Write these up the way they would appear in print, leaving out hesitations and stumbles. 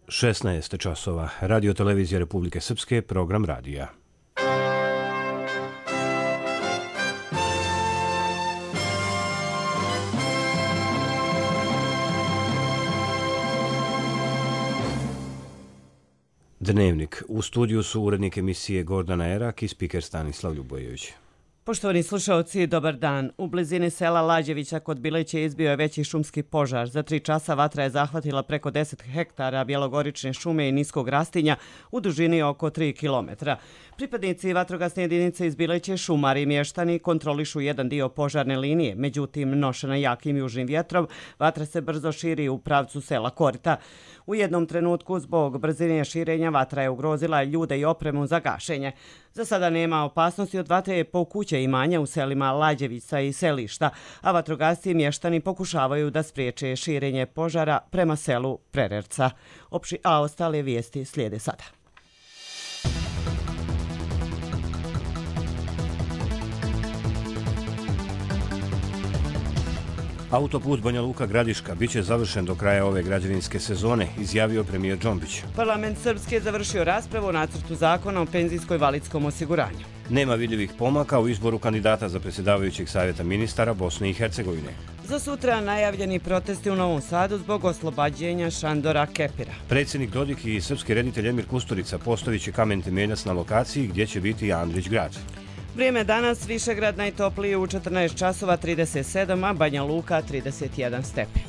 16 časova. Radio televizija Republike Srpske, program radija. Dnevnik. U studiju su urednik emisije Gordana Erak i spiker Stanislav Ljubojević. Poštovani slušalci, dobar dan. U blizini sela Lađevića kod Bileće izbio je veći šumski požar. Za 3 časa vatra je zahvatila preko 10 hektara bjelogorične šume i niskog rastinja u dužini oko 3 kilometra. Pripadnici vatrogasne jedinice iz Bileće, šumari i mještani kontrolišu jedan dio požarne linije. Međutim, nošena jakim južnim vjetrom, vatra se brzo širi u pravcu sela Korita. U jednom trenutku, zbog brzine širenja, vatra je ugrozila ljude i opremu za gašenje. Za sada nema opasnosti od vatre po kuće i imanja u selima Lađevica i Selišta, a vatrogasci i mještani pokušavaju da spriječe širenje požara prema selu Prererca. A ostale vijesti slijede sada. Autoput Banja Luka-Gradiška biće završen do kraja ove građevinske sezone, izjavio premijer Džombić. Parlament Srpske je završio raspravu o nacrtu zakona o penzijsko-invalidskom osiguranju. Nema vidljivih pomaka u izboru kandidata za predsjedavajućeg savjeta ministara Bosne i Hercegovine. Za sutra najavljeni protesti u Novom Sadu zbog oslobađenja Šandora Kepira. Predsjednik Dodik i srpski reditelj Emir Kusturica postavit će kamen temeljac na lokaciji gdje će biti Andrić grad. Vrijeme danas, Višegrad najtopliji u 14 časova 37, a Banja Luka 31 stepen.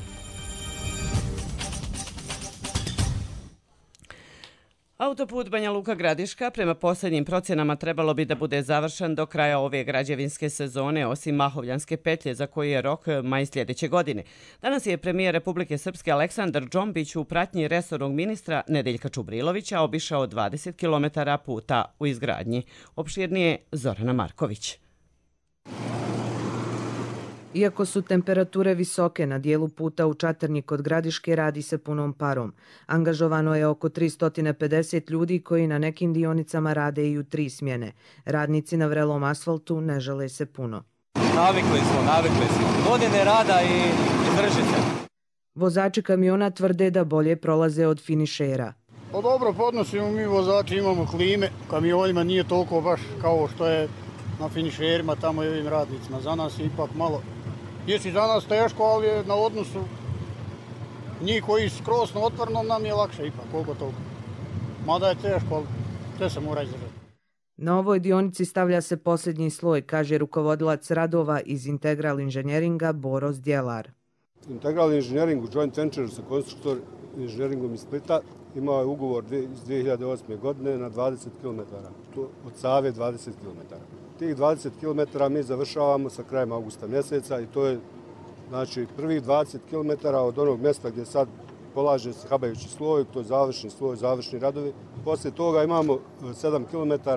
Autoput Banja Luka-Gradiška prema posljednjim procjenama trebalo bi da bude završen do kraja ove građevinske sezone, osim Mahovljanske petlje za koji je rok maj sljedeće godine. Danas je premijer Republike Srpske Aleksandar Džombić u pratnji resornog ministra Nedeljka Čubrilovića obišao 20 km puta u izgradnji. Opširnije Zorana Marković. Iako su temperature visoke na dijelu puta u Čatrnji kod Gradiške, radi se punom parom. Angažovano je oko 350 ljudi koji na nekim dionicama rade i u 3 smjene. Radnici na vrelom asfaltu ne žele se puno. Navikli smo. Godine rada i drži se. Vozači kamiona tvrde da bolje prolaze od finišera. Pa dobro, podnosimo mi vozači, imamo klime. Kamionima nije toliko baš kao što je na finišerima, tamo i ovim radnicima. Za nas je ipak malo. Jesi za nas teško, ali je na odnosu njih koji skroz na otvornom nam je lakše ipak, koliko toliko. Mada je teško, ali sve se mora izdržati. Na ovoj dionici stavlja se posljednji sloj, kaže rukovodilac radova iz Integral inženjeringa Boro Zdjelar. Integral inženjering u joint venture sa konstruktor inženjeringom iz Splita imao je ugovor iz 2008. godine na 20 km, od Save 20 km. Tih 20 km mi završavamo sa krajem augusta mjeseca i to je znači prvih 20 km od onog mjesta gdje sad polaže se habajući sloj, to je završni sloj, završni radovi. Poslije toga imamo 7 km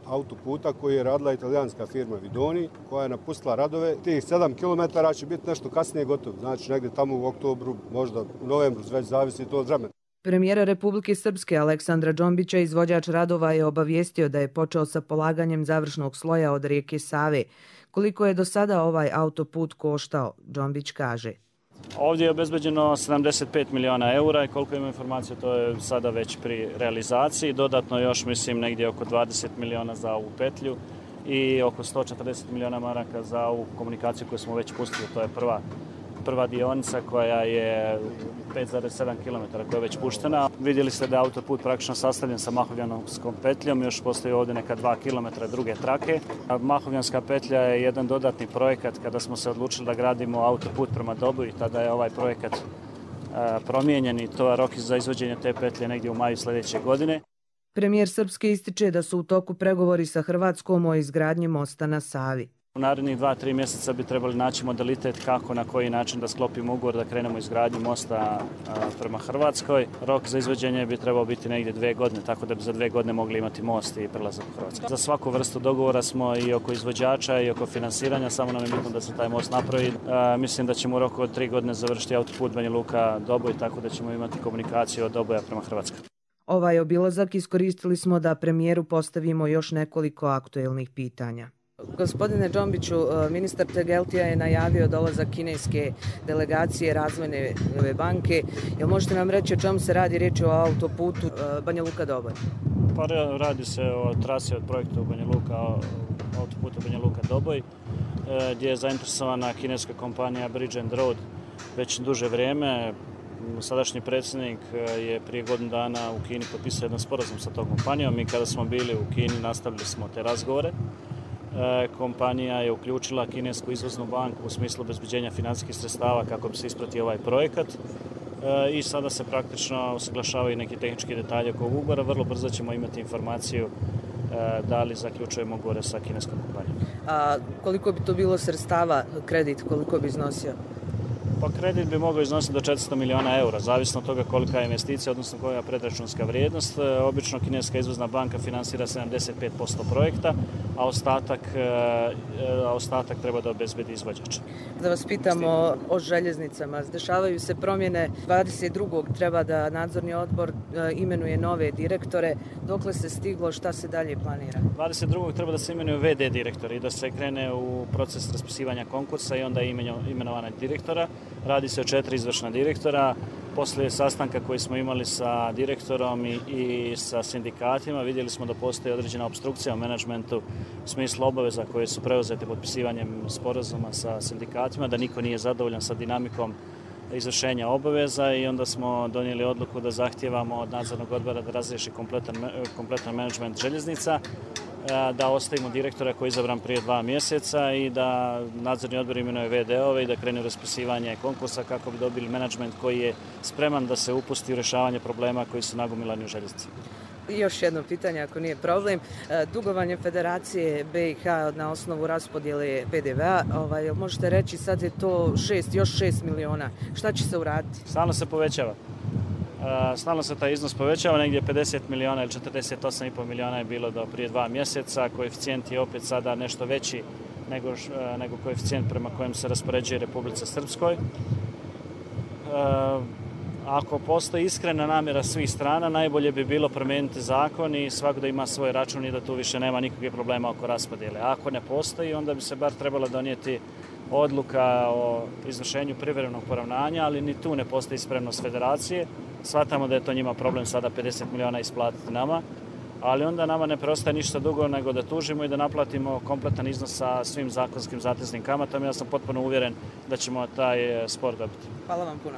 autoputa koji je radila italijanska firma Vidoni, koja je napustila radove. Tih 7 km će biti nešto kasnije gotovo, znači negdje tamo u oktobru, možda u novembru, već zavisi to od vremena. Premijera Republike Srpske Aleksandra Džombića izvođač radova je obavijestio da je počeo sa polaganjem završnog sloja od rijeke Save. Koliko je do sada ovaj autoput koštao, Džombić kaže. Ovdje je obezbeđeno 75 miliona eura i koliko imam informacije to je sada već pri realizaciji. Dodatno još mislim negdje oko 20 miliona za ovu petlju i oko 140 miliona maraka za ovu komunikaciju koju smo već pustili. To je prva dionica koja je 5,7 km koja je već puštena. Vidjeli ste da je autoput praktično sastavljen sa Mahovljanskom petljom, još postoji ovdje neka 2 km druge trake. Mahovljanska petlja je jedan dodatni projekat kada smo se odlučili da gradimo autoput prema Dobu i tada je ovaj projekat promijenjen i to je rok za izvođenje te petlje negdje u maju sljedeće godine. Premijer Srpske ističe da su u toku pregovori sa Hrvatskom o izgradnji mosta na Savi. U narednih 2-3 mjeseca bi trebali naći modalitet kako, na koji način da sklopimo ugovor, da krenemo izgradnju mosta prema Hrvatskoj. Rok za izvođenje bi trebao biti negdje 2 godine, tako da bi za 2 godine mogli imati most i prelazak u Hrvatsku. Za svaku vrstu dogovora smo i oko izvođača i oko finansiranja, samo nam je bitno da se taj most napravi. Mislim da ćemo u roku od 3 godine završiti autoput Banja Luka-Doboj, tako da ćemo imati komunikaciju od Doboja prema Hrvatskoj. Ovaj obilazak iskoristili smo da premijeru postavimo još nekoliko aktuelnih pitanja. Gospodine Džombiću, ministar Tegeltija je najavio dolazak kineske delegacije Razvojne banke. Jel možete nam reći o čemu se radi? Riječ je o autoputu Banja Luka-Doboj. Pa radi se o trasi od projekta u Banja Luka, autoputa Banja Luka-Doboj, gdje je zainteresovana kineska kompanija Bridge and Road već duže vrijeme. Sadašnji predsjednik je prije godinu dana u Kini potpisao jedan sporazum sa tom kompanijom i kada smo bili u Kini nastavili smo te razgovore. Kompanija je uključila kinesku izvoznu banku u smislu obezbeđenja financijskih sredstava kako bi se ispratio ovaj projekat i sada se praktično usaglašavaju neki tehnički detalji oko ugovora. Vrlo brzo ćemo imati informaciju da li zaključujemo ugovore sa kineskom kompanijom. A koliko bi to bilo sredstava, kredit, koliko bi iznosio? Pa kredit bi mogao iznositi do 400 miliona eura, zavisno od toga kolika je investicija, odnosno koja je predračunska vrijednost. Obično kineska izvozna banka finansira 75% projekta, a ostatak treba da obezbedi izvođač. Da vas pitamo o željeznicama. Dešavaju se promjene. 22. treba da nadzorni odbor imenuje nove direktore. Dokle se stiglo, šta se dalje planira? 22. treba da se imenuju VD direktori i da se krene u proces raspisivanja konkursa i onda imenovanja direktora. Radi se o 4 izvršna direktora. Poslije sastanka koji smo imali sa direktorom i sa sindikatima vidjeli smo da postoji određena opstrukcija u menadžmentu u smislu obaveza koje su preuzete potpisivanjem sporazuma sa sindikatima, da niko nije zadovoljan sa dinamikom izvršenja obaveza i onda smo donijeli odluku da zahtijevamo od nadzornog odbora da razriješi kompletan menadžment željeznica, da ostavimo direktora koji je izabran prije 2 mjeseca i da nadzorni odbor imenuje VD-ove i da krene u raspisivanje konkursa kako bi dobili menadžment koji je spreman da se upusti u rješavanje problema koji su nagomilani u željeznici. Još jedno pitanje, ako nije problem. Dugovanje Federacije BiH na osnovu raspodjele PDV-a, možete reći sad je to još 6 miliona. Šta će se uraditi? Stalno se povećava. Stalno se taj iznos povećava, negdje 50 miliona ili 48,5 miliona je bilo do prije 2 mjeseca. Koeficijent je opet sada nešto veći nego koeficijent prema kojem se raspoređuje Republici Srpskoj. Ako postoji iskrena namjera svih strana, najbolje bi bilo promijeniti zakon i svako da ima svoj račun i da tu više nema nikakvih problema oko raspodjele. Ako ne postoji, onda bi se bar trebala donijeti odluka o izvršenju privremenog poravnanja, ali ni tu ne postoji spremnost federacije. Shvatamo da je to njima problem sada 50 miliona isplatiti nama, ali onda nama ne preostaje ništa drugo nego da tužimo i da naplatimo kompletan iznos sa svim zakonskim zateznim kamatama. Ja sam potpuno uvjeren da ćemo taj spor dobiti. Hvala vam puno.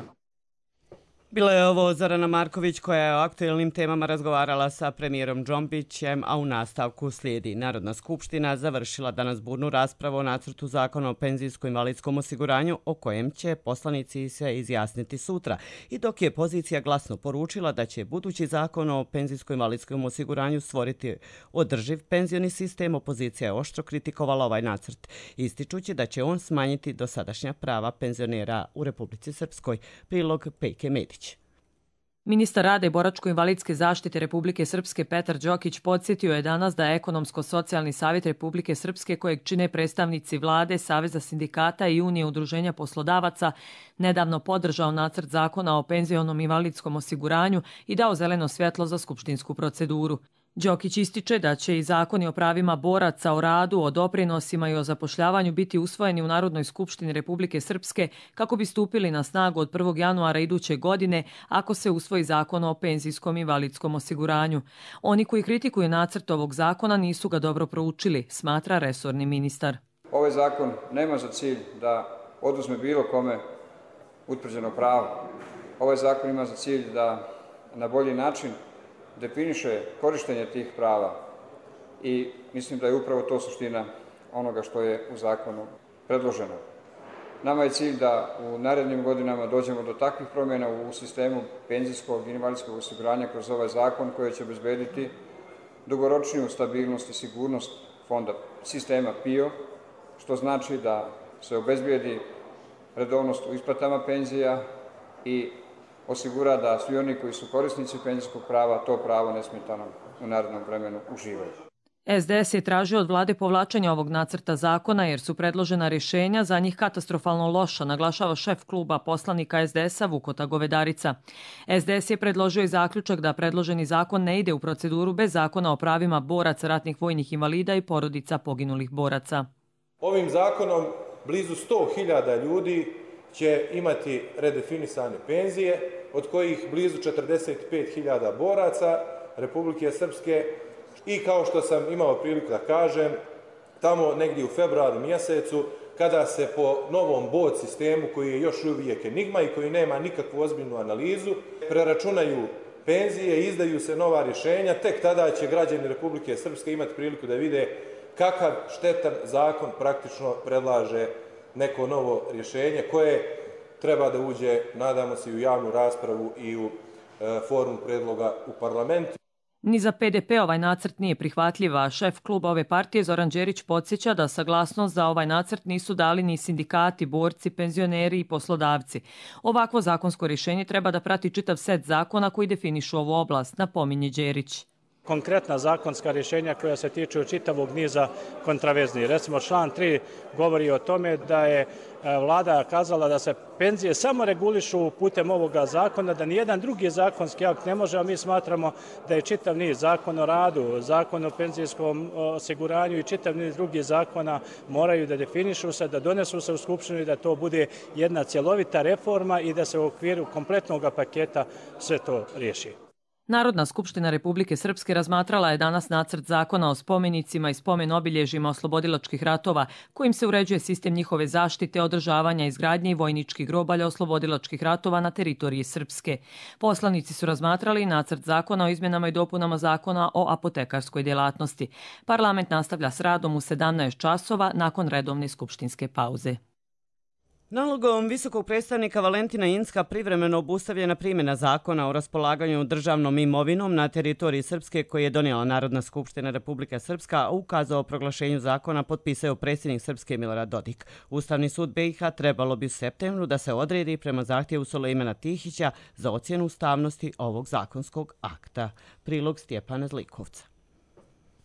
Bila je ovo Zorana Marković koja je o aktuelnim temama razgovarala sa premijerom Džombićem, a u nastavku slijedi. Narodna skupština završila danas burnu raspravu o nacrtu zakona o penzijsko-invalidskom osiguranju o kojem će poslanici se izjasniti sutra. I dok je pozicija glasno poručila da će budući zakon o penzijsko-invalidskom osiguranju stvoriti održiv penzioni sistem, opozicija je oštro kritikovala ovaj nacrt, ističući da će on smanjiti dosadašnja prava penzionera u Republici Srpskoj. Prilog Pejke Medić. Ministar rada i boračko-invalidske zaštite Republike Srpske Petar Đokić podsjetio je danas da je Ekonomsko-socijalni savjet Republike Srpske, kojeg čine predstavnici vlade, Saveza sindikata i Unije udruženja poslodavaca, nedavno podržao nacrt zakona o penzionom invalidskom osiguranju i dao zeleno svjetlo za skupštinsku proceduru. Đokić ističe da će i zakoni o pravima boraca, o radu, o doprinosima i o zapošljavanju biti usvojeni u Narodnoj skupštini Republike Srpske kako bi stupili na snagu od 1. januara iduće godine ako se usvoji zakon o penzijskom invalidskom osiguranju. Oni koji kritikuju nacrt ovog zakona nisu ga dobro proučili, smatra resorni ministar. Ovaj zakon nema za cilj da oduzme bilo kome utvrđeno pravo. Ovaj zakon ima za cilj da na bolji način definiše korištenje tih prava i mislim da je upravo to suština onoga što je u zakonu predloženo. Nama je cilj da u narednim godinama dođemo do takvih promjena u sistemu penzijskog i invalidskog osiguranja kroz ovaj zakon koji će obezbediti dugoročniju stabilnost i sigurnost fonda sistema PIO, što znači da se obezbedi redovnost u isplatama penzija i osigura da svi oni koji su korisnici penzijskog prava to pravo nesmetano u narednom vremenu uživaju. SDS je tražio od vlade povlačenje ovog nacrta zakona jer su predložena rješenja za njih katastrofalno loša, naglašava šef kluba poslanika SDS-a Vukota Govedarica. SDS je predložio i zaključak da predloženi zakon ne ide u proceduru bez zakona o pravima boraca, ratnih vojnih invalida i porodica poginulih boraca. Ovim zakonom blizu 100.000 ljudi će imati redefinisane penzije, od kojih blizu 45.000 boraca Republike Srpske. I kao što sam imao priliku da kažem, tamo negdje u februaru mjesecu, kada se po novom bod sistemu, koji je još uvijek enigma i koji nema nikakvu ozbiljnu analizu, preračunaju penzije i izdaju se nova rješenja, tek tada će građani Republike Srpske imati priliku da vide kakav štetan zakon praktično predlaže neko novo rješenje koje treba da uđe, nadamo se, i u javnu raspravu i u formu predloga u parlamentu. Ni za PDP ovaj nacrt nije prihvatljiv, a šef kluba ove partije Zoran Đerić podsjeća da saglasnost za ovaj nacrt nisu dali ni sindikati, borci, penzioneri i poslodavci. Ovakvo zakonsko rješenje treba da prati čitav set zakona koji definišu ovu oblast, napominje Đerić. Konkretna zakonska rješenja koja se tiču čitavog niza kontraverznih. Recimo, član 3 govori o tome da je vlada kazala da se penzije samo regulišu putem ovoga zakona, da nijedan drugi zakonski akt ne može, a mi smatramo da je čitav niz zakon o radu, zakon o penzijskom osiguranju i čitav niz drugih zakona moraju da definišu se, da donesu se u Skupštinu i da to bude jedna cjelovita reforma i da se u okviru kompletnog paketa sve to riješi. Narodna skupština Republike Srpske razmatrala je danas nacrt zakona o spomenicima i spomen obilježjima oslobodilačkih ratova, kojim se uređuje sistem njihove zaštite, održavanja, izgradnje i vojničkih grobalja oslobodilačkih ratova na teritoriji Srpske. Poslanici su razmatrali nacrt zakona o izmjenama i dopunama zakona o apotekarskoj djelatnosti. Parlament nastavlja s radom u 17 časova nakon redovne skupštinske pauze. Nalogom visokog predstavnika Valentina Inzka privremeno obustavljena primjena zakona o raspolaganju državnom imovinom na teritoriji Srpske koji je donijela Narodna skupština Republike Srpska, a ukazao o proglašenju zakona potpisao predsjednik Srpske Milorad Dodik. Ustavni sud BiH trebalo bi u septembru da se odredi prema zahtjevu Sulejmana Tihića za ocjenu ustavnosti ovog zakonskog akta. Prilog Stjepana Zlikovca.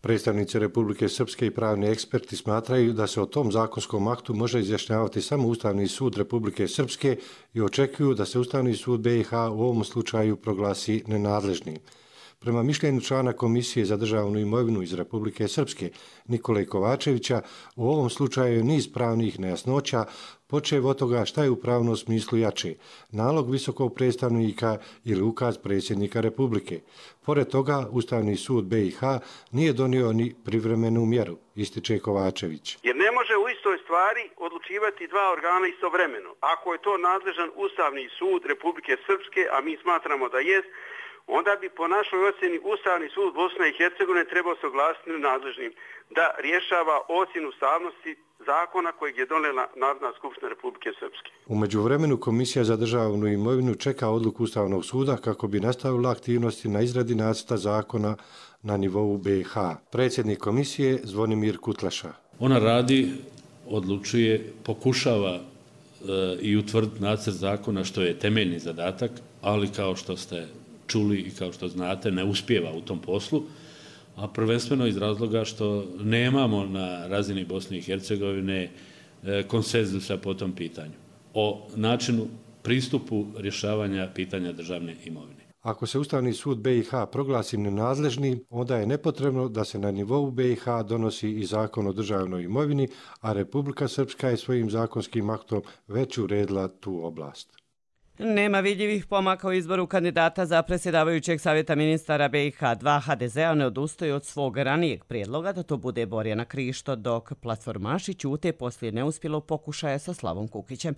Predstavnici Republike Srpske i pravni eksperti smatraju da se o tom zakonskom aktu može izjašnjavati samo Ustavni sud Republike Srpske i očekuju da se Ustavni sud BiH u ovom slučaju proglasi nenadležnim. Prema mišljenju člana Komisije za državnu imovinu iz Republike Srpske Nikole Kovačevića, u ovom slučaju je niz pravnih nejasnoća, počev od toga šta je u pravnom smislu jače, nalog visokog predstavnika ili ukaz predsjednika Republike. Pored toga, Ustavni sud BiH nije donio ni privremenu mjeru, ističe Kovačević. Jer ne može u istoj stvari odlučivati dva organa istovremeno. Ako je to nadležan Ustavni sud Republike Srpske, a mi smatramo da jest, onda bi po našoj ocjeni Ustavni sud Bosne i Hercegovine trebao se oglasiti nadležnim da rješava ocjenu ustavnosti zakona kojeg je donijela Narodna skupština Republike Srpske. U međuvremenu Komisija za državnu imovinu čeka odluku Ustavnog suda kako bi nastavila aktivnosti na izradi nacrta zakona na nivou BiH. Predsjednik komisije Zvonimir Kutlaša. Ona radi, odlučuje, pokušava i utvrditi nacrt zakona, što je temeljni zadatak, ali kao što ste čuli i kao što znate, ne uspijeva u tom poslu, a prvenstveno iz razloga što nemamo na razini Bosne i Hercegovine konsenzusa po tom pitanju o načinu pristupu rješavanja pitanja državne imovine. Ako se Ustavni sud BiH proglasi nenadležnim, onda je nepotrebno da se na nivou BiH donosi i zakon o državnoj imovini, a Republika Srpska je svojim zakonskim aktom već uredila tu oblast. Nema vidljivih pomaka u izboru kandidata za predsjedavajućeg savjeta ministara BiH. Dva HDZ-a ne odustaju od svog ranijeg prijedloga da to bude Borjana Krišto, dok platformaši ćute poslije neuspjelog pokušaja sa Slavom Kukićem.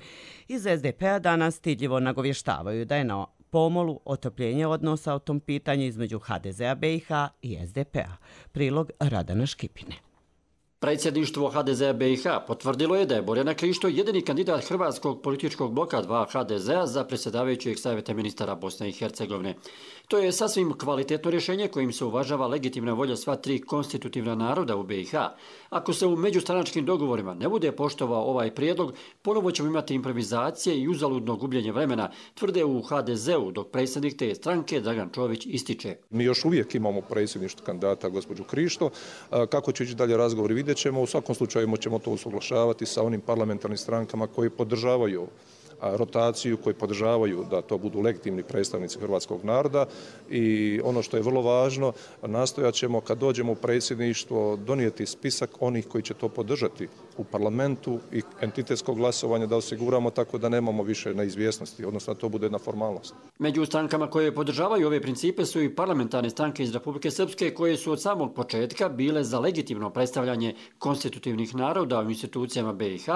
Iz SDP-a danas stidljivo nagovještavaju da je na pomolu otopljenje odnosa o tom pitanju između HDZ-a BiH i SDP-a. Prilog Radana Škipine. Predsjedništvo HDZ-a BiH potvrdilo je da je Borjana Krišto jedini kandidat hrvatskog političkog bloka 2 HDZ-a za predsjedavajućeg savjeta ministara Bosne i Hercegovine. To je sasvim kvalitetno rješenje kojim se uvažava legitimna volja sva tri konstitutivna naroda u BiH. Ako se u međustranačkim dogovorima ne bude poštovao ovaj prijedlog, ponovo ćemo imati improvizacije i uzaludno gubljenje vremena, tvrde u HDZ-u, dok predsjednik te stranke Dragan Čović ističe. Mi još uvijek imamo predsjedništvo kandidata gospođu Krišto. Kako će ići dalje razgovori vidjet ćemo. U svakom slučaju ćemo to usuglašavati sa onim parlamentarnim strankama koji podržavaju rotaciju, koji podržavaju da to budu legitimni predstavnici hrvatskog naroda i ono što je vrlo važno, nastojat ćemo kad dođemo u predsjedništvo donijeti spisak onih koji će to podržati u parlamentu i entitetskog glasovanja da osiguramo tako da nemamo više neizvjesnosti, odnosno da to bude jedna formalnost. Među strankama koje podržavaju ove principe su i parlamentarne stranke iz Republike Srpske koje su od samog početka bile za legitimno predstavljanje konstitutivnih naroda u institucijama BiH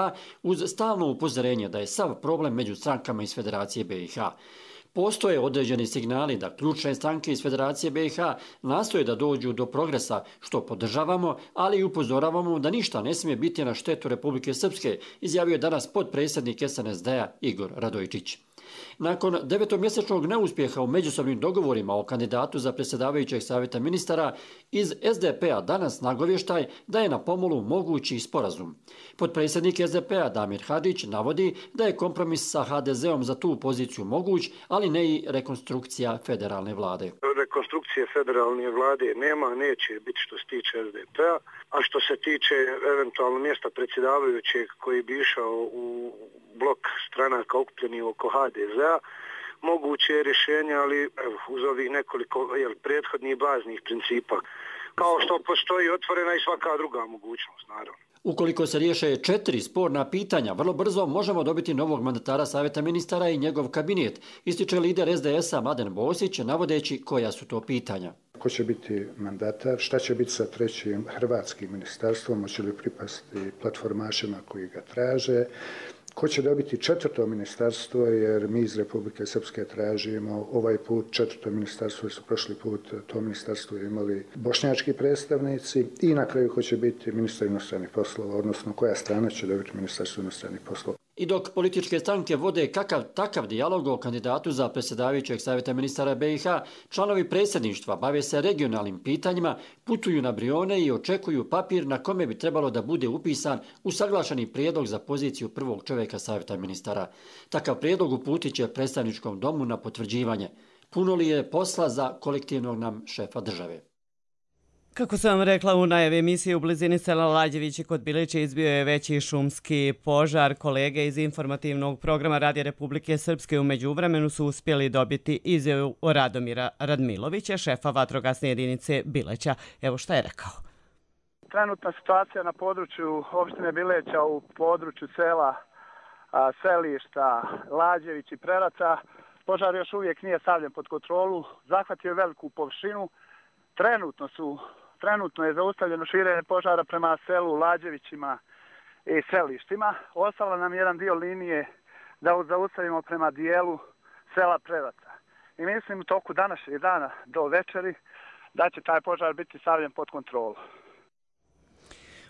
uz stalno upozorenje da je sav problem među strankama iz Federacije BiH. Postoje određeni signali da ključne stranke iz Federacije BiH nastoje da dođu do progresa, što podržavamo, ali i upozoravamo da ništa ne smije biti na štetu Republike Srpske, izjavio je danas potpredsjednik SNSD-a Igor Radojčić. Nakon 9-mjesečnog neuspjeha u međusobnim dogovorima o kandidatu za predsjedavajućeg savjeta ministara, iz SDP-a danas nagovještaj da je na pomolu mogući sporazum. Potpredsjednik SDP-a Damir Hadžić navodi da je kompromis sa HDZ-om za tu poziciju moguć, ali ne i rekonstrukcija federalne vlade. Rekonstrukcije federalne vlade nema, neće biti što se tiče SDP-a, a što se tiče eventualno mjesta predsjedavajućeg koji bi išao u blok stranaka okupljenih oko HDZ-a, moguće je rješenje, ali uz ovih nekoliko prethodnih baznih principa. Kao što postoji otvorena i svaka druga mogućnost, naravno. Ukoliko se riješe 4 sporna pitanja, vrlo brzo možemo dobiti novog mandatara savjeta ministara i njegov kabinet, ističe lider SDS-a Mladen Bosić, navodeći koja su to pitanja. Ko će biti mandatar, šta će biti sa trećim hrvatskim ministarstvom, hoće li pripasti platformašima koji ga traže, ko će dobiti četvrto ministarstvo, jer mi iz Republike Srpske tražimo ovaj put četvrto ministarstvo, jer su prošli put to ministarstvo imali bošnjački predstavnici, i na kraju ko će biti ministar inostranih poslova, odnosno koja strana će dobiti ministarstvo inostranih poslova. I dok političke stranke vode takav dijalog o kandidatu za predsjedavajućeg savjeta ministara BiH, članovi predsjedništva bave se regionalnim pitanjima, putuju na Brione i očekuju papir na kome bi trebalo da bude upisan usaglašeni prijedlog za poziciju prvog čovjeka savjeta ministara. Takav prijedlog uputit će predstavničkom domu na potvrđivanje. Puno li je posla za kolektivnog nam šefa države? Kako sam vam rekla u najavi emisije, u blizini sela Lađevići kod Bilića izbio je veći šumski požar. Kolege iz informativnog programa Radija Republike Srpske u međuvremenu su uspjeli dobiti izjavu Radomira Radmilovića, šefa vatrogasne jedinice Bileća. Evo šta je rekao. Trenutna situacija na području opštine Bileća u području sela Selišta, Lađević i Preraca. Požar još uvijek nije stavljen pod kontrolu, zahvatio je veliku površinu. Trenutno je zaustavljeno širenje požara prema selu Lađevićima i Selištima. Ostalo nam jedan dio linije da zaustavimo prema dijelu sela Preraca. I mislim u toku današnjeg dana do večeri da će taj požar biti stavljen pod kontrolu.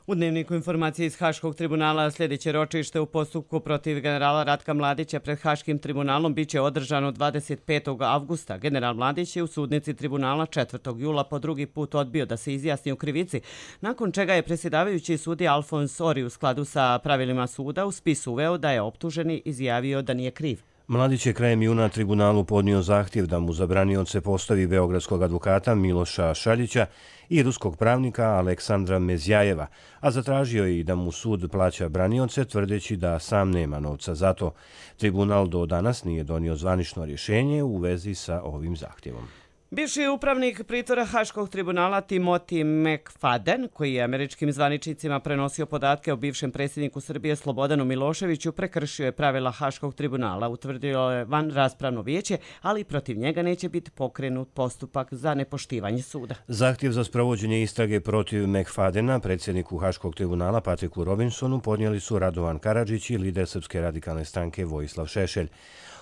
U dnevniku informacije iz Haškog tribunala sljedeće ročište u postupku protiv generala Ratka Mladića pred Haškim tribunalom biće održano 25. avgusta. General Mladić je u sudnici tribunala 4. jula po drugi put odbio da se izjasni u krivici, nakon čega je predsjedavajući sudija Alfons Ori u skladu sa pravilima suda u spis uveo da je optuženi izjavio da nije kriv. Mladić je krajem juna tribunalu podnio zahtjev da mu zabranioce postavi beogradskog advokata Miloša Šaljića i ruskog pravnika Aleksandra Mezjajeva, a zatražio je i da mu sud plaća branioce tvrdeći da sam nema novca za to. Tribunal do danas nije donio zvanično rješenje u vezi sa ovim zahtjevom. Bivši upravnik pritvora Haškog tribunala Timothy McFadden, koji je američkim zvaničnicima prenosio podatke o bivšem predsjedniku Srbije Slobodanu Miloševiću, prekršio je pravila Haškog tribunala, utvrdilo je van raspravno vijeće, ali protiv njega neće biti pokrenut postupak za nepoštivanje suda. Zahtjev za sprovođenje istrage protiv McFaddena, predsjedniku Haškog tribunala Patriku Robinsonu, podnijeli su Radovan Karadžić i lider Srpske radikalne stranke Vojislav Šešelj.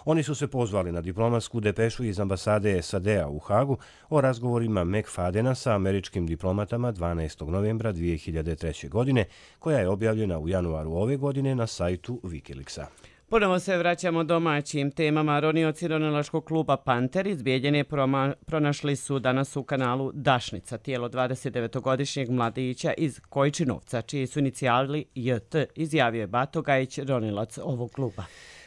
Oni su se pozvali na diplomatsku depešu iz ambasade SAD-a u Hagu o razgovorima McFaddena sa američkim diplomatama 12. novembra 2003. godine, koja je objavljena u januaru ove godine na sajtu Wikileaksa. Ponovo se vraćamo domaćim temama. Ronioci ronilačkog kluba Panter iz Bijeljine pronašli su danas u kanalu Dašnica tijelo 29-godišnjeg mladića iz Kojčinovca, čiji su inicijali JT, izjavio je Bato Gajić, ronilac ovog kluba.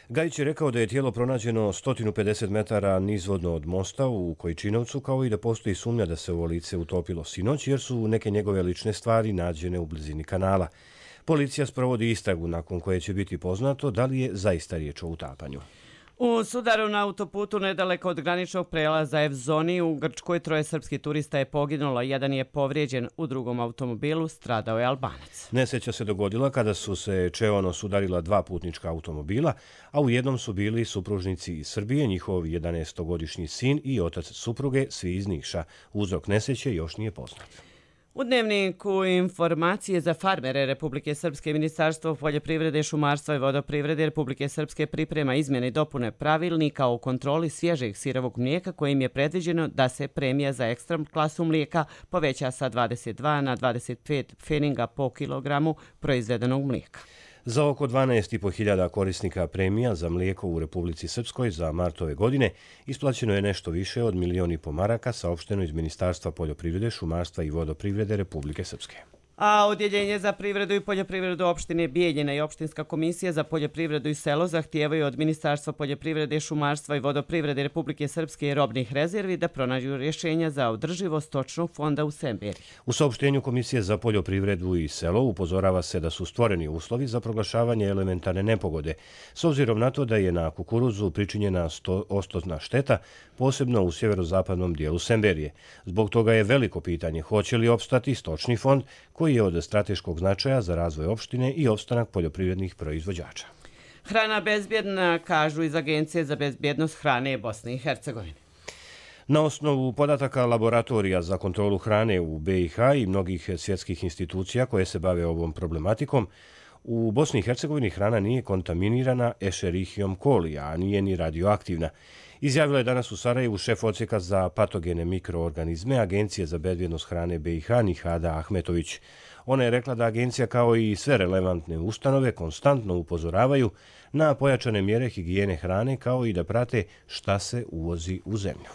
Gajić je rekao da je tijelo pronađeno 150 metara nizvodno od mosta u Kojčinovcu, kao i da postoji sumnja da se ovo lice utopilo sinoć, jer su neke njegove lične stvari nađene u blizini kanala. Policija sprovodi istragu nakon koje će biti poznato da li je zaista riječ o utapanju. U sudaru na autoputu nedaleko od graničnog prelaza Evzoni u Grčkoj 3 srpskih turista je poginulo, jedan je povrijeđen, u drugom automobilu stradao je Albanac. Nesreća se dogodila kada su se čeono sudarila 2 putnička automobila, a u jednom su bili supružnici iz Srbije, njihov 11-godišnji sin i otac supruge, svi iz Niša. Uzrok nesreće još nije poznat. U dnevniku informacije za farmere Republike Srpske, Ministarstvo poljoprivrede, šumarstva i vodoprivrede Republike Srpske priprema izmjene i dopune pravilnika o kontroli svježeg sirovog mlijeka, kojim je predviđeno da se premija za ekstra klasu mlijeka poveća sa 22 na 25 pfeninga po kilogramu proizvedenog mlijeka. Za oko 12.500 korisnika premija za mlijeko u Republici Srpskoj za mart ove godine isplaćeno je nešto više od 1,5 miliona maraka, saopšteno iz Ministarstva poljoprivrede, šumarstva i vodoprivrede Republike Srpske. A Odjeljenje za privredu i poljoprivredu opštine Bijeljina i Opštinska komisija za poljoprivredu i selo zahtijevaju od Ministarstva poljoprivrede, šumarstva i vodoprivrede Republike Srpske i robnih rezervi da pronađu rješenja za održivost stočnog fonda u Semberiji. U saopštenju Komisije za poljoprivredu i selo upozorava se da su stvoreni uslovi za proglašavanje elementarne nepogode, s obzirom na to da je na kukuruzu pričinjena ostotna šteta, posebno u sjeverozapadnom dijelu Semberije. Zbog toga je veliko pitanje hoće li opstati stočni fond koji je od strateškog značaja za razvoj opštine i opstanak poljoprivrednih proizvođača. Hrana bezbjedna, kažu iz Agencije za bezbjednost hrane Bosne i Hercegovine. Na osnovu podataka laboratorija za kontrolu hrane u BiH i mnogih svjetskih institucija koje se bave ovom problematikom, u Bosni i Hercegovini hrana nije kontaminirana Escherichiom coli, a nije ni radioaktivna. Izjavila je danas u Sarajevu šef odsjeka za patogene mikroorganizme Agencije za bezbjednost hrane BiH Nihada Ahmetović. Ona je rekla da agencija kao i sve relevantne ustanove konstantno upozoravaju na pojačane mjere higijene hrane kao i da prate šta se uvozi u zemlju.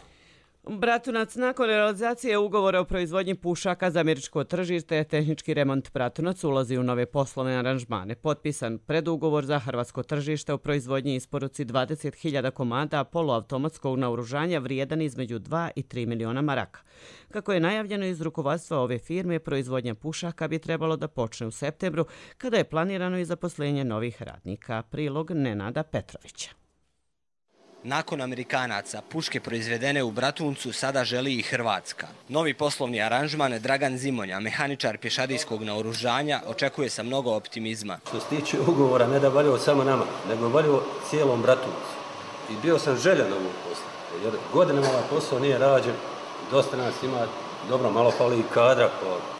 Bratunac, nakon realizacije ugovora o proizvodnji pušaka za američko tržište, tehnički remont Bratunac ulazi u nove poslovne aranžmane. Potpisan predugovor za hrvatsko tržište o proizvodnji i isporuci 20.000 komada poluautomatskog naoružanja vrijedan između 2 i 3 miliona maraka. Kako je najavljeno iz rukovodstva ove firme, proizvodnja pušaka bi trebalo da počne u septembru, kada je planirano i zaposlenje novih radnika. Prilog Nenada Petrovića. Nakon Amerikanaca, puške proizvedene u Bratuncu sada želi i Hrvatska. Novi poslovni aranžman Dragan Zimonja, mehaničar pješadijskog naoružanja, očekuje sa mnogo optimizma. Što se tiče ugovora, ne da valjao samo nama, nego valjao cijelom Bratuncu. I bio sam željan ovog posla, jer godinama ovaj posao nije rađen, dosta nas ima, dobro, malo fali i kadra.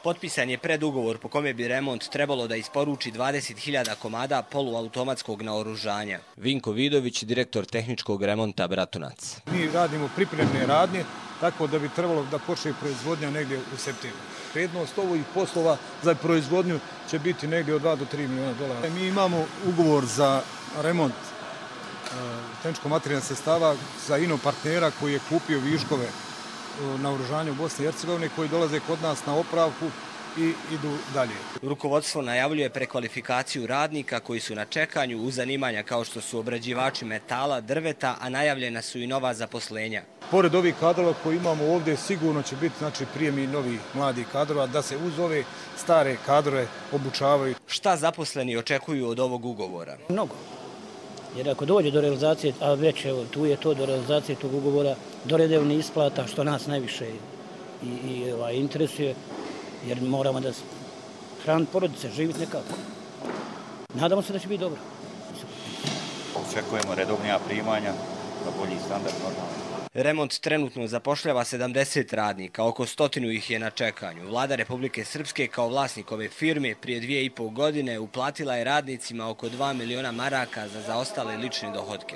Potpisan je predugovor po kome bi remont trebalo da isporuči 20.000 komada poluautomatskog naoružanja. Vinko Vidović, direktor tehničkog remonta Bratunac. Mi radimo pripremne radnje, tako da bi trebalo da počne proizvodnja negdje u septembru. Vrijednost ovih poslova za proizvodnju će biti negdje od 2 do 3 miliona dolara. Mi imamo ugovor za remont tehničko-materijalnih sredstava za ino partnera koji je kupio viškove naoružanja u Bosni i Hercegovini koji dolaze kod nas na opravku i idu dalje. Rukovodstvo najavljuje prekvalifikaciju radnika koji su na čekanju u zanimanja kao što su obrađivači metala, drveta, a najavljena su i nova zaposlenja. Pored ovih kadrova koji imamo ovdje sigurno će biti prijemi novi mladi kadrova da se uz ove stare kadrove obučavaju. Šta zaposleni očekuju od ovog ugovora? Mnogo. Jer ako dođe do realizacije, a već evo, tu je to do realizacije tog ugovora, do redovnih isplata, što nas najviše interesuje, jer moramo da hraniti porodice, živjeti nekako. Nadamo se da će biti dobro. Očekujemo redovnija primanja, na bolji standard normalno. Remont trenutno zapošljava 70 radnika, oko 100 ih je na čekanju. Vlada Republike Srpske kao vlasnik ove firme prije 2,5 godine uplatila je radnicima oko 2 miliona maraka za zaostale lične dohodke.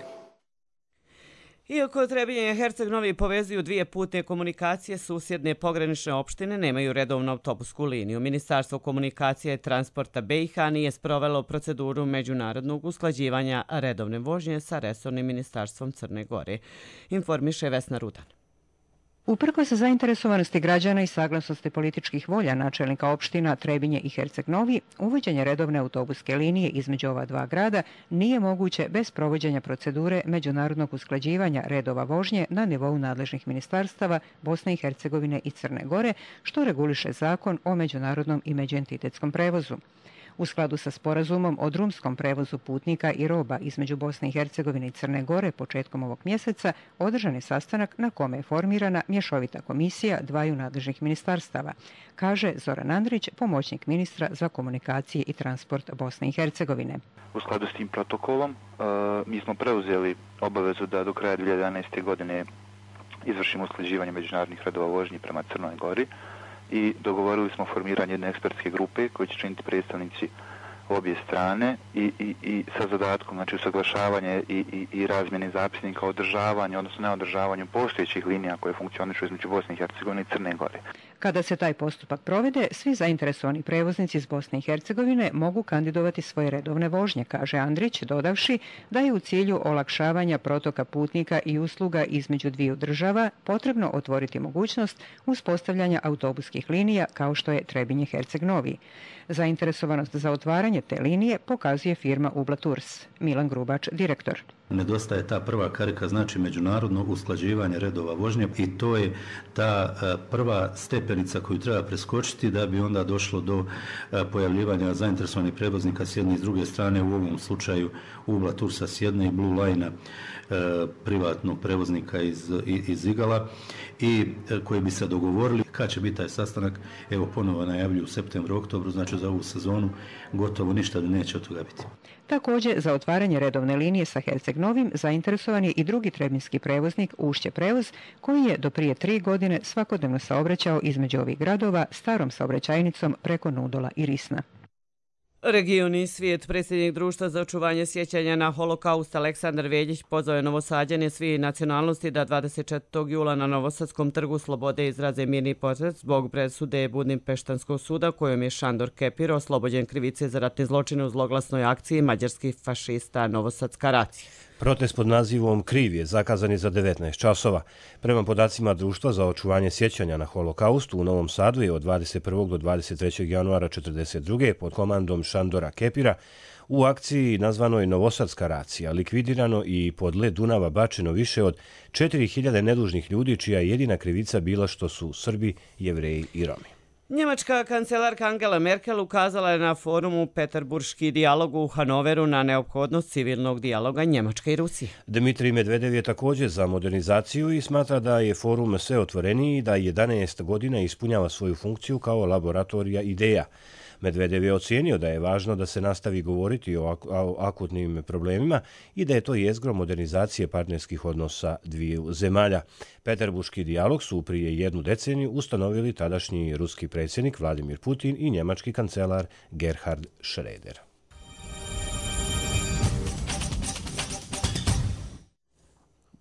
Iako Trebinje i Herceg Novi povezuju dvije putne komunikacije, susjedne pogranične opštine nemaju redovnu autobusku liniju. Ministarstvo komunikacije i transporta BiH nije sprovelo proceduru međunarodnog usklađivanja redovne vožnje sa resornim ministarstvom Crne Gore, informiše Vesna Rudan. Uprkos zainteresovanosti građana i saglasnosti političkih volja načelnika opština Trebinje i Herceg Novi, uvođenje redovne autobuske linije između ova dva grada nije moguće bez provođenja procedure međunarodnog usklađivanja redova vožnje na nivou nadležnih ministarstava Bosne i Hercegovine i Crne Gore, što reguliše zakon o međunarodnom i međuentitetskom prevozu. U skladu sa sporazumom o drumskom prevozu putnika i roba između Bosne i Hercegovine i Crne Gore početkom ovog mjeseca održan je sastanak na kome je formirana mješovita komisija dvaju nadležnih ministarstava, kaže Zoran Andrić, pomoćnik ministra za komunikacije i transport Bosne i Hercegovine. U skladu s tim protokolom mi smo preuzeli obavezu da do kraja 2011. godine izvršimo usklađivanje međunarodnih redova vožnji prema Crnoj Gori i dogovorili smo formiranje jedne ekspertske grupe koje će činiti predstavnici obje strane i sa zadatkom, znači usaglašavanje i razmjene zapisnika o održavanju, odnosno neodržavanju postojećih linija koje funkcionišu između Bosne i Hercegovine i Crne Gore. Kada se taj postupak provede, svi zainteresovani prevoznici iz Bosne i Hercegovine mogu kandidovati svoje redovne vožnje, kaže Andrić, dodavši da je u cilju olakšavanja protoka putnika i usluga između dviju država potrebno otvoriti mogućnost uspostavljanja autobuskih linija kao što je Trebinje Herceg Novi. Zainteresovanost za otvaranje te linije pokazuje firma Ubla Tours. Milan Grubač, direktor. Nedostaje ta prva karika, znači međunarodno usklađivanje redova vožnje i to je ta prva stepenica koju treba preskočiti da bi onda došlo do pojavljivanja zainteresovanih prevoznika s jedne i s druge strane, u ovom slučaju Ubla Toursa s jedne i Blue Line privatnog prevoznika iz Igala i koji bi se dogovorili kad će biti taj sastanak. Evo ponovo najavljuju u septembru, oktobru, znači za ovu sezonu gotovo ništa da neće od toga biti. Također, za otvaranje redovne linije sa Herceg Novim zainteresovan je i drugi trebinski prevoznik Ušće prevoz, koji je do prije 3 godine svakodnevno saobraćao između ovih gradova starom saobraćajnicom preko Nudola i Risna. Regioni svijet, predsjednik Društva za očuvanje sjećanja na holokaust Aleksandar Veljić pozvao je Novosađane svih nacionalnosti da 24. jula na Novosadskom trgu Slobode izraze mirni protest zbog presude Budimpeštanskog suda kojom je Šandor Kepir oslobođen krivice za ratne zločine u zloglasnoj akciji mađarskih fašista Novosadska racija. Protest pod nazivom Kriv je zakazan je za 19 časova. Prema podacima Društva za očuvanje sjećanja na holokaust u Novom Sadu je od 21. do 23. januara 1942. pod komandom Šandora Kepira u akciji nazvanoj Novosadska racija likvidirano i pod led Dunava bačeno više od 4000 nedužnih ljudi čija je jedina krivica bila što su Srbi, Jevreji i Romi. Njemačka kancelarka Angela Merkel ukazala je na forumu Peterburški dijalog u Hanoveru na neophodnost civilnog dijaloga Njemačke i Rusije. Dmitrij Medvedev je također za modernizaciju i smatra da je forum sve otvoreniji i da 11 godina ispunjava svoju funkciju kao laboratorija ideja. Medvedev je ocijenio da je važno da se nastavi govoriti o akutnim problemima i da je to jezgro modernizacije partnerskih odnosa dviju zemalja. Peterburški dijalog su prije 1 deceniju ustanovili tadašnji ruski predsjednik Vladimir Putin i njemački kancelar Gerhard Schröder.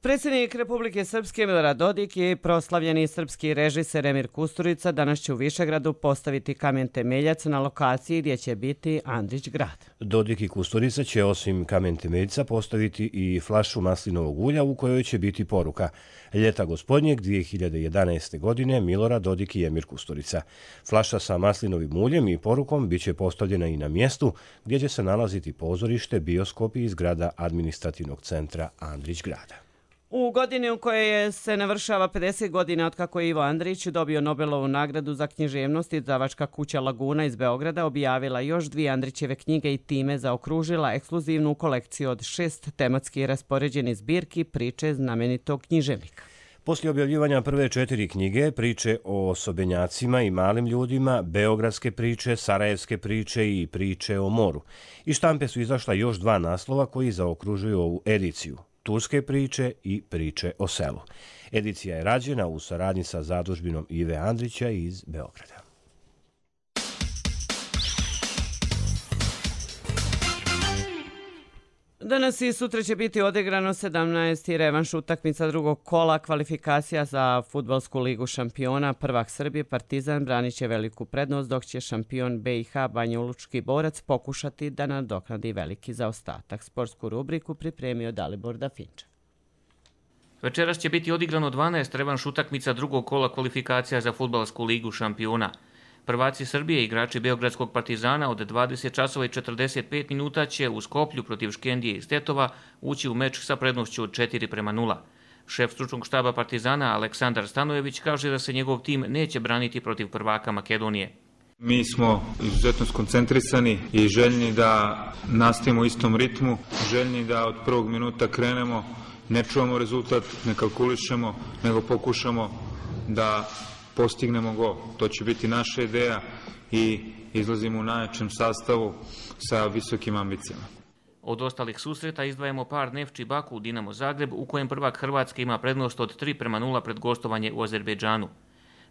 Predsjednik Republike Srpske Milorad Dodik i proslavljeni srpski režiser Emir Kusturica danas će u Višegradu postaviti kamen temeljac na lokaciji gdje će biti Andrić grad. Dodik i Kusturica će osim kamen temeljca postaviti i flašu maslinovog ulja u kojoj će biti poruka Ljeta gospodnjeg 2011. godine Milorad Dodik i Emir Kusturica. Flaša sa maslinovim uljem i porukom bit će postavljena i na mjestu gdje će se nalaziti pozorište, bioskop i zgrada administrativnog centra Andrić grada. U godini u kojoj se navršava 50 godina od kako je Ivo Andrić dobio Nobelovu nagradu za književnost, izdavačka kuća Laguna iz Beograda objavila još 2 Andrićeve knjige i time zaokružila ekskluzivnu kolekciju od 6 tematski raspoređenih zbirki priče znamenitog književnika. Poslije objavljivanja prve 4 knjige, priče o osobenjacima i malim ljudima, beogradske priče, sarajevske priče i priče o moru. Iz štampe su izašla još 2 naslova koji zaokružuju ovu ediciju. Turske priče i priče o selu. Edicija je rađena u saradnji sa zadužbinom Ive Andrića iz Beograda. Danas i sutra će biti odigrano 17. revanš utakmica drugog kola kvalifikacija za Fudbalsku ligu šampiona. Prvak Srbije Partizan branit će veliku prednost, dok će šampion BiH Banjalučki Borac pokušati da nadoknadi veliki zaostatak. Sportsku rubriku pripremio Dalibor Dafinča. Večeras će biti odigrano 12 revanš utakmica drugog kola kvalifikacija za Fudbalsku ligu šampiona. Prvaci Srbije, igrači Beogradskog Partizana, od 20 časova i 45 minuta će u Skoplju protiv Škendije iz Tetova ući u meč sa prednošću od 4:0. Šef stručnog štaba Partizana Aleksandar Stanojević kaže da se njegov tim neće braniti protiv prvaka Makedonije. Mi smo izuzetno skoncentrisani i željni da nastavimo u istom ritmu, željni da od prvog minuta krenemo, ne čuvamo rezultat, ne kalkulišemo, nego pokušamo da postignemo gol. To će biti naša ideja i izlazimo u najjačem sastavu sa visokim ambicijama. Od ostalih susreta izdvajamo par Nefči Baku Dinamo Zagreb, u kojem prvak Hrvatske ima prednost od 3:0 pred gostovanje u Azerbejdžanu.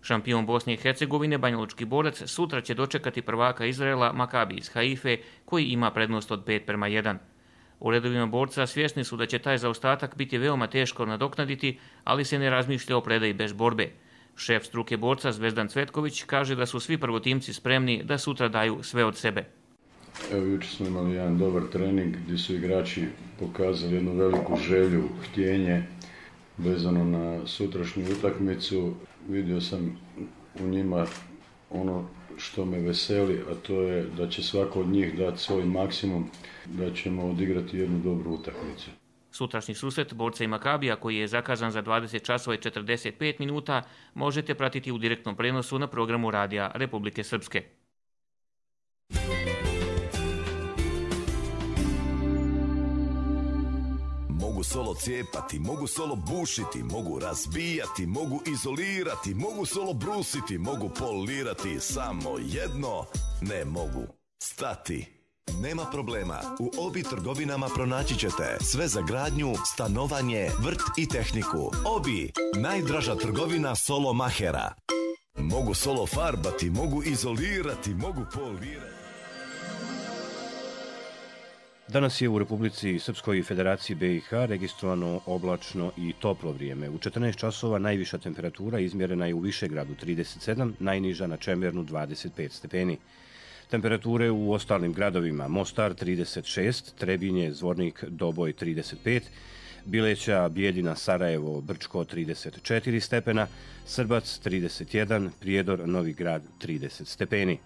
Šampion Bosne i Hercegovine Banjalučki Borac sutra će dočekati prvaka Izraela Makabi iz Haife, koji ima prednost od 5:1. U redovima borca svjesni su da će taj zaostatak biti veoma teško nadoknaditi, ali se ne razmišlja o predaji bez borbe. Šef struke borca Zvezdan Cvetković kaže da su svi prvotimci spremni da sutra daju sve od sebe. Evo, jučer smo imali jedan dobar trening gdje su igrači pokazali jednu veliku želju, htjenje vezano na sutrašnju utakmicu. Vidio sam u njima ono što me veseli, a to je da će svako od njih dati svoj maksimum, da ćemo odigrati jednu dobru utakmicu. Sutrašnji susret borca i Makabija, koji je zakazan za 20 časova i 45 minuta, možete pratiti u direktnom prenosu na programu Radija Republike Srpske. Mogu solo cijepati, mogu solo bušiti, mogu razbijati, mogu izolirati, mogu solo brusiti, mogu polirati, samo jedno ne mogu stati. Nema problema, u Obi trgovinama pronaći ćete sve za gradnju, stanovanje, vrt i tehniku. Obi, najdraža trgovina solo mahera. Mogu solo farbati, mogu izolirati, mogu polirati. Danas je u Republici Srpskoj i Federaciji BiH registrovano oblačno i toplo vrijeme. U 14 časova najviša temperatura izmjerena je u Višegradu 37, najniža na Čemernu 25 stepeni. Temperature u ostalim gradovima: Mostar 36, Trebinje, Zvornik, Doboj 35, Bileća, Bijeljina, Sarajevo, Brčko 34 stepena, Srbac 31, Prijedor, Novi Grad 30 stepeni.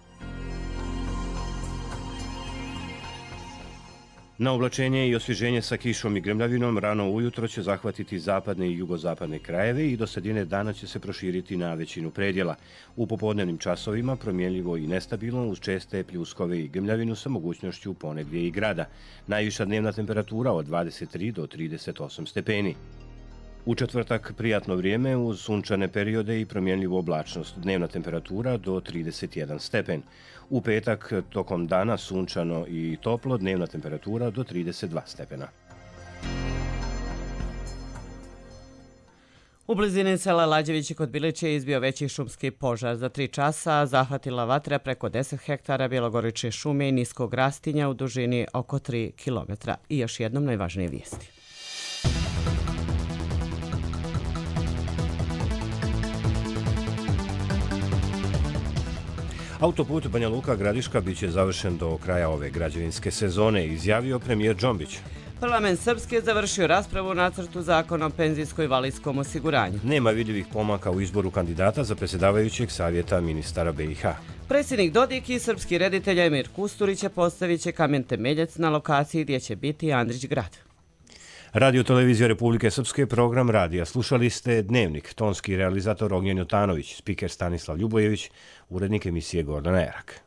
Na oblačenje i osvježenje sa kišom i grmljavinom rano ujutro će zahvatiti zapadne i jugozapadne krajeve i do sredine dana će se proširiti na većinu predjela. U popodnevnim časovima promjenljivo i nestabilno uz česte pljuskove i grmljavinu sa mogućnošću ponegdje i grada. Najviša dnevna temperatura od 23 do 38 stepeni. U četvrtak prijatno vrijeme uz sunčane periode i promjenljivu oblačnost. Dnevna temperatura do 31 stepen. U petak tokom dana sunčano i toplo, dnevna temperatura do 32 stepena. U blizini sela Lađevići kod Bileće izbio veći šumski požar. Za 3 časa zahvatila vatra preko 10 hektara bjelogorične šume i niskog rastinja u dužini oko 3 kilometra. I još jednom najvažnije vijesti. Autoput Banja Luka Gradiška biće završen do kraja ove građevinske sezone, izjavio premijer Džombić. Parlament Srpske je završio raspravu o nacrtu zakona o penzijsko-invalidskom osiguranju. Nema vidljivih pomaka u izboru kandidata za predsjedavajućeg savjeta ministara BiH. Predsjednik Dodik i srpski reditelj Emir Kusturić postavit će kamen temeljac na lokaciji gdje će biti Andrić grad. Radio Televizija Republike Srpske, program radija. Slušali ste Dnevnik, tonski realizator Ognjen Jotanović, spiker Stanislav Ljubojević, urednik emisije Gordana Erak.